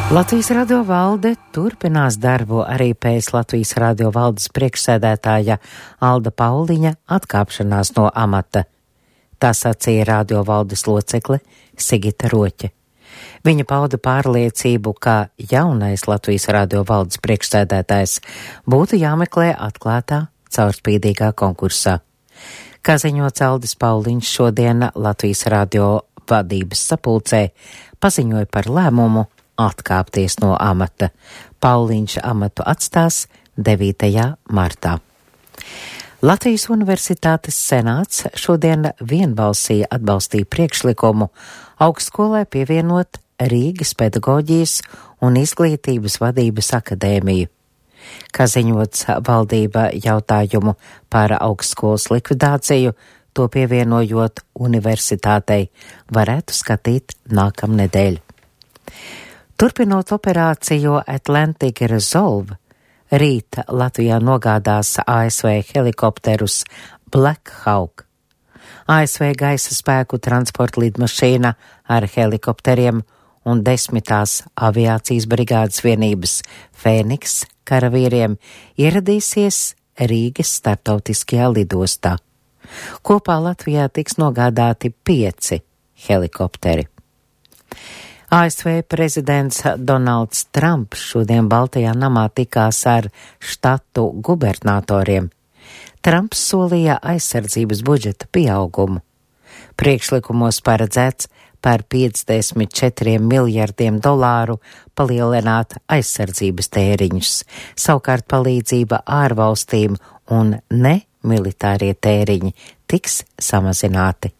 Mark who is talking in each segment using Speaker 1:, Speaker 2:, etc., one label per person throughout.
Speaker 1: Latvijas Radio valde turpinās darbu arī pēc Latvijas Radio valdes priekšsēdētāja Alda Pauliņa atkāpšanās no amata. Tā sacīja Radio valdes locekle Sigita Roķe. Viņa pauda pārliecību, ka jaunais Latvijas Radio valdes priekšsēdētājs būtu jāmeklē atklātā, caurspīdīgā konkursā. Kā ziņots, Aldis Pauliņš šodien Latvijas Radio vadības sapulcē paziņoja par lēmumu atkāpties no amata. Pauliņš amatu atstās 9. martā. Latvijas Universitātes senāts šodien vienbalsīgi atbalstīja priekšlikumu augstskolai pievienot Rīgas pedagoģijas un izglītības vadības akadēmiju. Kā ziņots, valdība jautājumu par augstskolas likvidāciju, to pievienojot universitātei, varētu skatīt nākamnedēļ. Turpinot operāciju Atlantic Resolve, rīt Latvijā nogādās ASV helikopterus Black Hawk. ASV gaisa spēku transporta lidmašīna ar helikopteriem un 10. aviācijas brigādes vienības Fēniks karavīriem ieradīsies Rīgas starptautiskajā lidostā. Kopā Latvijā tiks nogādāti 5 helikopteri. ASV prezidents Donalds Trumps šodien Baltajā namā tikās ar štatu gubernatoriem. Trumps solīja aizsardzības budžeta pieaugumu. Priekšlikumos paredzēts par $54 miljardiem palielināt aizsardzības tēriņus, savukārt palīdzība ārvalstīm un nemilitārie tēriņi tiks samazināti.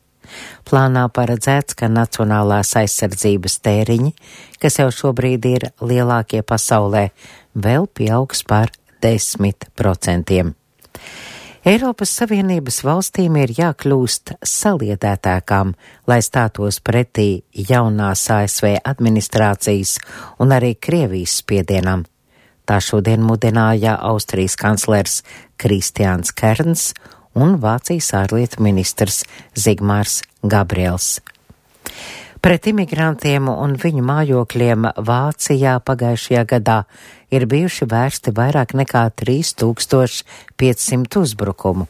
Speaker 1: Plānā paredzēts, ka nacionālās aizsardzības tēriņi, kas jau šobrīd ir lielākie pasaulē, vēl pieaugs par 10%. Eiropas Savienības valstīm ir jākļūst saliedētākām, lai stātos pretī jaunās ASV administrācijas un arī Krievijas spiedienam. Tā šodien mudināja Austrijas kanclers Kristiāns Kerns un Vācijas ārlietu ministrs Zigmārs Gabriels. Pret imigrantiem un viņu mājokļiem Vācijā pagājušajā gadā ir bijuši vērsti vairāk nekā 3500 uzbrukumu.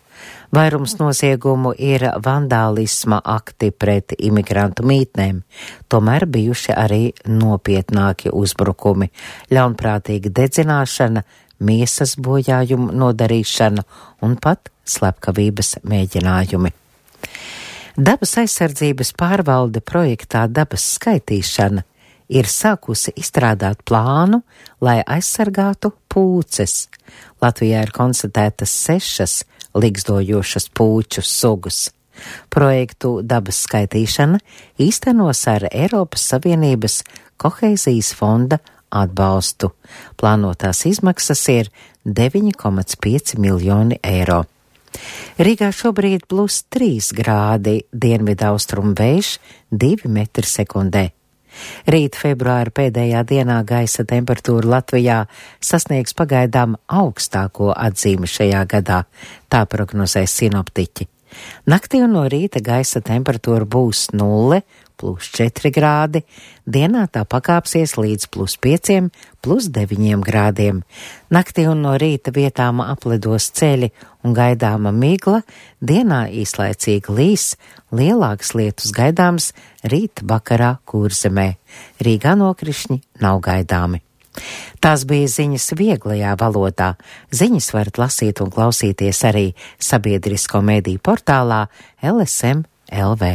Speaker 1: Vairums noziegumu ir vandālisma akti pret imigrantu mītnēm, tomēr bijuši arī nopietnāki uzbrukumi, ļaunprātīga dedzināšana, miesas bojājumu nodarīšana un pat slepkavības mēģinājumi. Dabas aizsardzības pārvalde projektā Dabas skaitīšana ir sākusi izstrādāt plānu, lai aizsargātu pūces. Latvijā ir konstatētas 6 ligzdojošas pūču sugas. Projektu Dabas skaitīšana īstenos ar Eiropas Savienības koheizijas fonda atbalstu. Plānotās izmaksas ir 9,5 miljoni eiro. Rīgā šobrīd +3 grādi, dienvidaustrumu vējš 2 metri sekundē. Rīt februāra pēdējā dienā gaisa temperatūra Latvijā sasniegs pagaidām augstāko atzīmi šajā gadā, tā prognozē sinoptiķi. Naktī un no rīta gaisa temperatūra būs 0, +4 grādi, dienā tā pakāpsies līdz +5, +9 grādiem. Naktī un no rīta vietām aplidos ceļi un gaidāma migla, dienā īslaicīgi līs, lielāks lietus gaidāms rīt vakarā Kurzemē. Rīgā nokrišņi nav gaidāmi. Tās bija ziņas vieglajā valodā. Ziņas varat lasīt un klausīties arī sabiedrisko mediju portālā LSM LV.